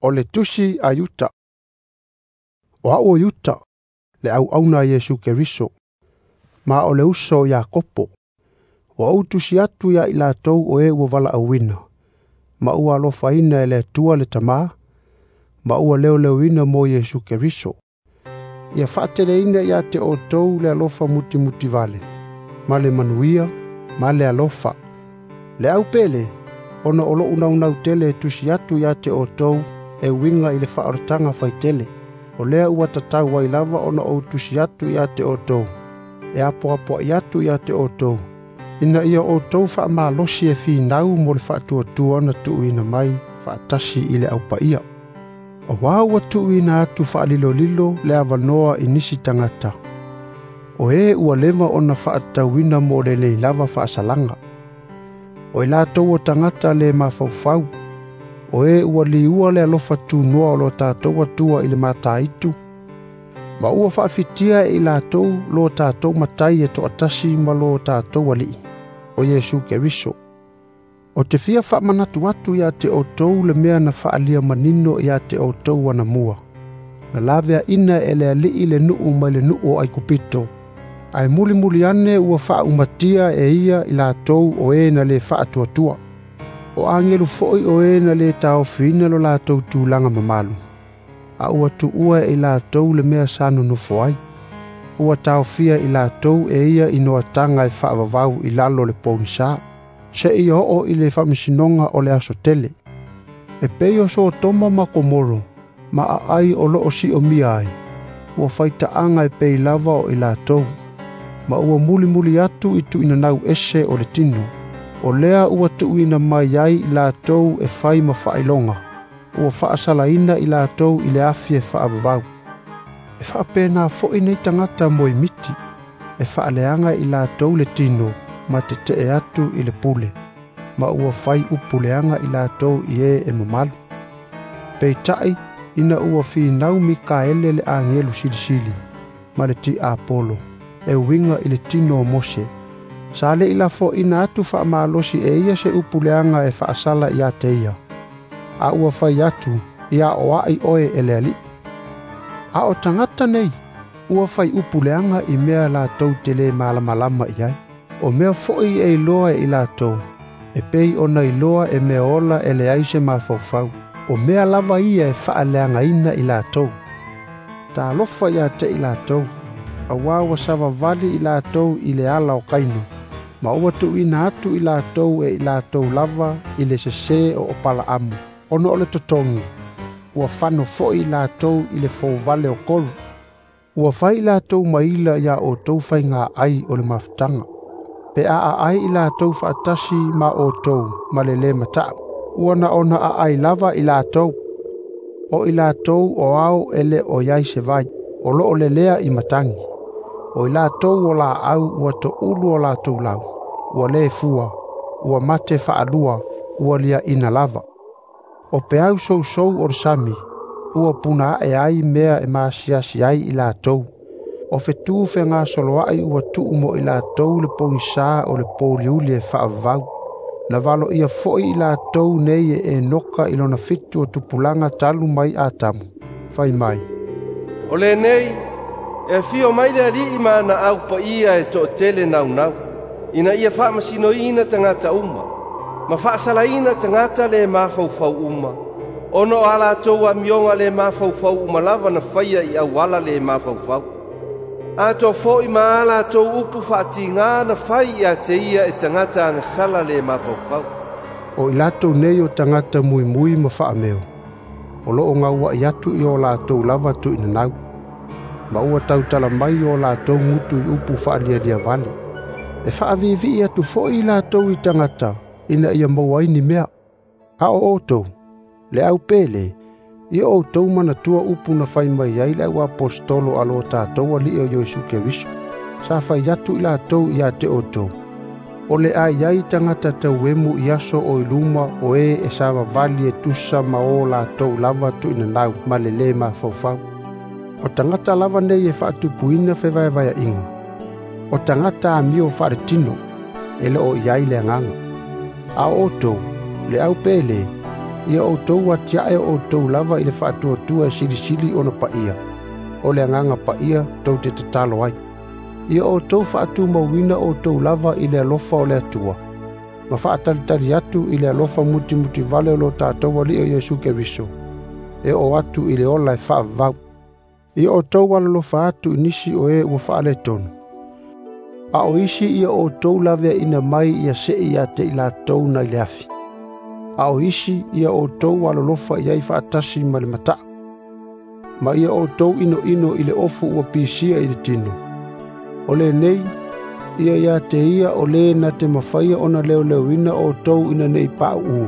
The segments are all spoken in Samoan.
O le tusi a Iuta. O a'u o Iuta, le auauna a Iesu Keriso, ma o le uso o Iakopo. Ua ou tusi atu ia i latou o e ua valaauina, ma ua alofaina e le Atua le Tamā, ma ua leoleoina mo Iesu Keriso. Ia faateleina ia te outou le alofa mutimutivale, ma le manuia, ma le alofa. Le au pele, ona o lo'u naunau tele e tusi atu ia te outou e uiga i le faaolataga faitele. O lea ua tatau ai lava ona ou tusi atu ia te outou, e apoapoai atu ia te outou, ina ia outou faamalosi e finau mo le faatuatua na tuuina mai faatasi i le aupaia. Auā ua tuuina atu faalilolilo le avanoa i nisi tagata, o e ua leva ona faatatauina mo le lelei lava faasalaga. O i latou o tagata le mafaufau, o e ua liua le alofa tunoa o lo tatou Atua i le mataitu, ma ua faafitia e i latou lo tatou matai e toatasi ma lo tatou Alii, o Iesu Keriso. O te fia faamanatu atu ia te outou le mea na faaalia manino ia te outou anamua. Na laveaina e le Alii le nuu mai le nuu o Aikupito, ae mulimuli ane ua faaumatia e ia i latou o e na le faatuatua. O agelu foi o e na le taofiina lo latou tulaga mamalu, a ua tuua e i latou le mea sa nonofo ai. Ua taofia i latou e ia i noataga e faavavau i lalo o le pogisa, seia oo i le faamasinoga o le aso tele. E pei o Sotoma ma Komoro, ma aai o loo siomia ai, ua faitaaga e pei lava o i latou, ma ua mulimuli atu i tuuinanau ese o le tino. O lea ua tuuina mai ai i latou e fai ma faailoga, ua faasalaina i latou i le afi e faavavau. E faapena foi nei tagata moemiti, e faaleaga i latou le tino ma tetee atu i le pule, ma ua fai upu leaga i latou i e e mamalu. Peitai, ina ua finau Mikaele le agelu silisili, ma le tiapolo, e uiga i le tino o Mose, sa le i lafoina atu faamalosi e ia se upu leaga e faasala ia te ia, a ua fai atu, ia oai oe e le Alii. A o tagata nei, ua fai upu leaga i mea latou te le malamalama i ai. O mea foi e iloa e i latou, e pei ona iloa e mea ola e leai se mafaufau. O mea lava ia e faaleagaina i latou. Talofa ia te i latou, auā ua savavali i latou i le ala o Kaino, ma ua tuuina atu i latou e i latou lava i le sesē o Opalaamu, ona o le totogi, ua fano foi i latou i le fouvale o kolu. Ua fai i latou maila ia outou faiga ai o le mafutaga, pe a aai i latou faatasi ma outou ma le lē mataʻu, ua na ona aai lava i latou. O i latou o ao e le o i ai se vai, o loo lelea i matagi. O i latou o laau ua toulu o latou lau, ua le fua, ua mate faalua, ua liaina lava. O peau sousou o le sami, ua puna ae ai mea e maasiasi ai i latou. O fetu fegasoloai ua tuu mo i latou le pogisā o le pouliuli e faavavau. Na valoia foi i latou nei e Enoka i lona 7 o tupulaga talu mai Atamu, fai mai, O lenei, e afio mai le Alii ma ana au paia e toatele naunau, ina ia faamasinoina tagata uma, ma faasalaina tagata le mafaufau uma, ona o a latou amioga le mafaufau uma lava na faia i auala le mafaufau. Atoa foi ma a latou upu faatigā na fai ia te ia e tagata agasala le mafaufau. O i latou nei o tagata muimui ma faameo, o loo gauaʻi atu i o latou lava tuuinanau, ma ua tautala mai o latou gutu i upu faalialia vale. E faaviivii atu foi i latou i tagata, ina ia maua ai ni mea. A o outou, le au pele, ia outou manatua upu na fai mai ai le au aposetolo a lo tatou Alii o Iesu Keriso. Sa fai atu i latou ia te outou, o le a i ai tagata tauemu i aso o i luma o e e savavali e tusa ma o latou lava tuuinanau ma le lē mafaufau. O tagata lava nei e faatupuina fevaevaeaʻiga. O tagata amio faaletino, e le o i ai le agaga. A o outou, le au pele, Ia outou atiae o outou lava i le faatuatua e silisili ona paia, o le Agaga Paia tou te tatalo ai. Ia outou faatumauina outou lava i le alofa o le Atua, ma faatalitali atu i le alofa mutimutivale o lo tatou Alii o Iesu Keriso, e oo atu i le ola e faavavau. Ia outou alolofa atu i nisi o e ua faaletonu, a o isi ia outou laveaina mai ia sei ia te i latou nai le afi. A o isi ia outou alolofa i ai faatasi ma le mataa. Ma ia outou inoino i le ofu ua pisia i le tino. O lenei, ia ia te ia o le na te mafaia ona leoleoina outou ina nei pauu.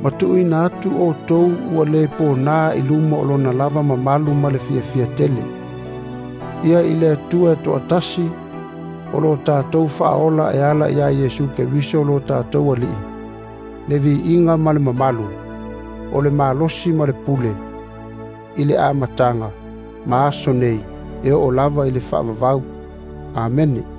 Ma tuuina atu outou ua le pona i luma o lona lava mamalu ma le fiafia tele. Ia i le Atua e toatasi, o lo tatou faaola e ala ia Iesu Keriso lo tatou Alii, le viiga ma le mamalu, o le malosi ma le pule, i le amataga, ma aso nei, e oo lava i le faavavau. Amene.